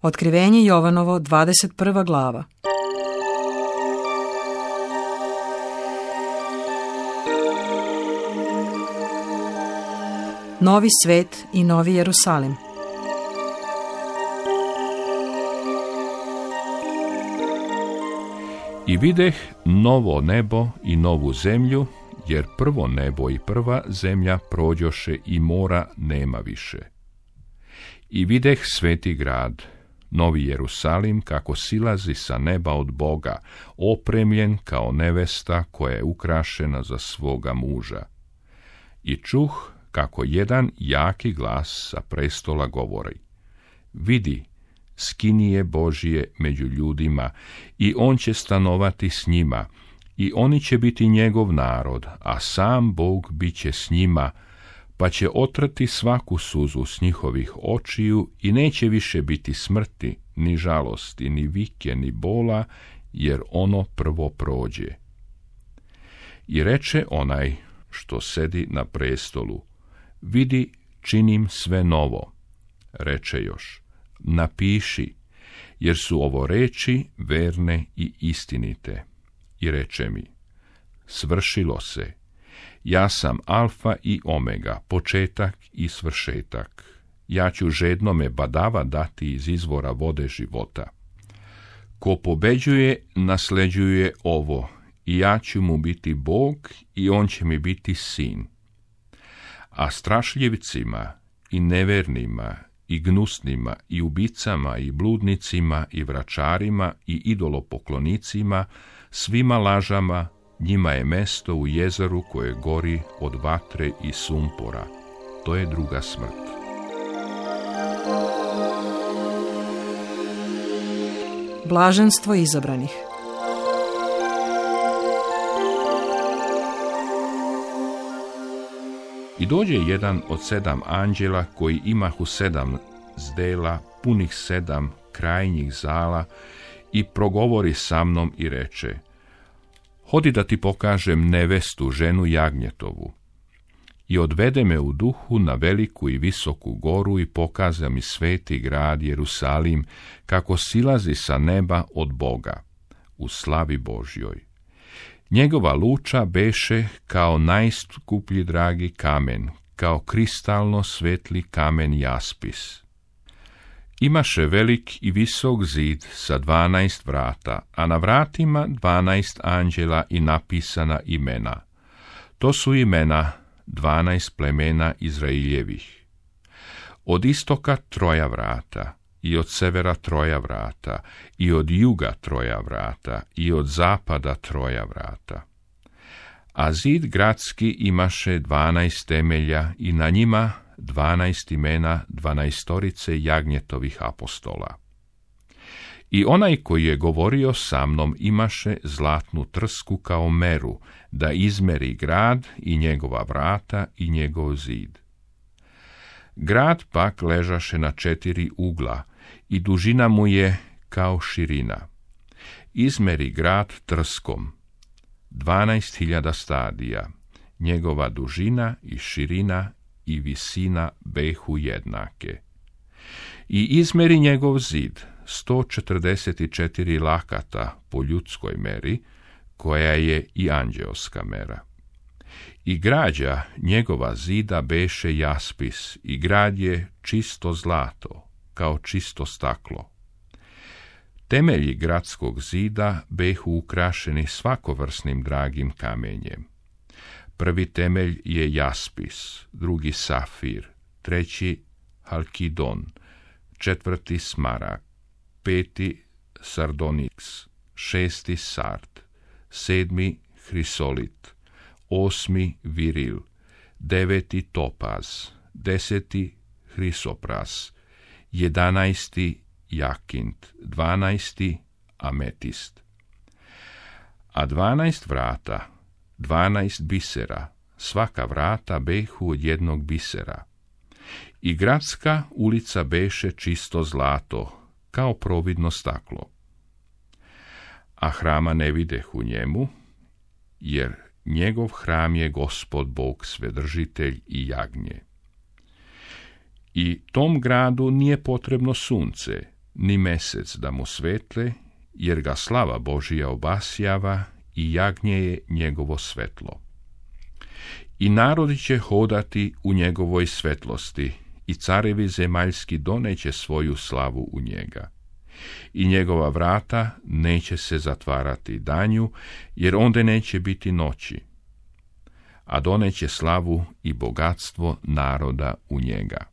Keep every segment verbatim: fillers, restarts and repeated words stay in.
Otkrivenje Jovanovo, dvadeset prva glava. Novi svet i novi Jerusalim. I videh novo nebo i novu zemlju, jer prvo nebo i prva zemlja prođoše i mora nema više. I videh sveti grad, novi Jerusalim, kako silazi sa neba od Boga, opremljen kao nevesta koja je ukrašena za svoga muža. I čuh kako jedan jaki glas sa prestola govori: vidi, skinije Božije među ljudima, i on će stanovati s njima, i oni će biti njegov narod, a sam Bog bit će s njima, pa će otrati svaku suzu s njihovih očiju i neće više biti smrti, ni žalosti, ni vike, ni bola, jer ono prvo prođe. I reče onaj što sedi na prestolu: vidi, činim sve novo. Reče još: napiši, jer su ovo reči verne i istinite. I reče mi: svršilo se. Ja sam Alfa i Omega, početak i svršetak. Ja ću žednome badava dati iz izvora vode života. Ko pobeđuje, nasleđuje ovo, i ja ću mu biti Bog, i on će mi biti sin. A strašljivcima i nevernima i gnusnima i ubicama i bludnicima i vračarima i idolopoklonicima, svima lažama, njima je mesto u jezeru koje gori od vatre i sumpora. To je druga smrt. Blaženstvo izabranih. I dođe jedan od sedam anđela koji imahu sedam zdela, punih sedam krajnjih zala, i progovori sa mnom i reče: hodi da ti pokažem nevestu, ženu jagnjetovu. I odvede me u duhu na veliku i visoku goru i pokaza mi sveti grad Jerusalim, kako silazi sa neba od Boga, u slavi Božjoj. Njegova luča beše kao najskuplji dragi kamen, kao kristalno svetli kamen jaspis. Imaše velik i visok zid sa dvanaest vrata, a na vratima dvanaest anđela i napisana imena. To su imena dvanaest plemena Izraeljevih. Od istoka troja vrata, i od severa troja vrata, i od juga troja vrata, i od zapada troja vrata. A zid gradski imaše dvanaest temelja, i na njima dvanaest imena dvanaestorice jagnjetovih apostola. I onaj koji je govorio sa mnom imaše zlatnu trsku kao meru, da izmeri grad i njegova vrata i njegov zid. Grad pak ležaše na četiri ugla, i dužina mu je kao širina. Izmeri grad trskom, dvanaest hiljada stadija, njegova dužina i širina i visina behu jednake. I izmeri njegov zid, sto četrdeset četiri lakata po ljudskoj meri, koja je i anđeoska mera. I građa njegova zida beše jaspis, i grad je čisto zlato, kao čisto staklo. Temelji gradskog zida behu ukrašeni svakovrsnim dragim kamenjem. Prvi temelj je jaspis, drugi safir, treći halkidon, četvrti smarag, peti sardoniks, šesti sard, sedmi hrisolit, osmi viril, deveti topaz, deseti hrisopras, jedanaesti jakint, dvanaesti ametist. A dvanaest vrata, dvanaest bisera, svaka vrata behu od jednog bisera. I gradska ulica beše čisto zlato, kao providno staklo. A hrama ne videh u njemu, jer njegov hram je Gospod Bog Svedržitelj i jagnje. I tom gradu nije potrebno sunce, ni mesec da mu svetle, jer ga slava Božija obasjava i jagnje je njegovo svetlo. I narodi će hodati u njegovoj svetlosti, i carevi zemaljski doneće svoju slavu u njega. I njegova vrata neće se zatvarati danju, jer onda neće biti noći, a doneće slavu i bogatstvo naroda u njega.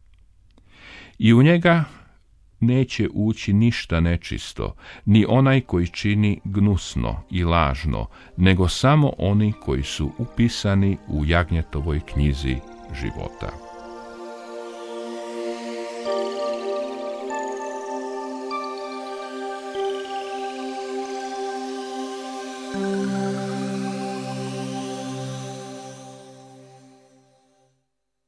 I u njega neće ući ništa nečisto, ni onaj koji čini gnusno i lažno, nego samo oni koji su upisani u jagnjetovoj knjizi života.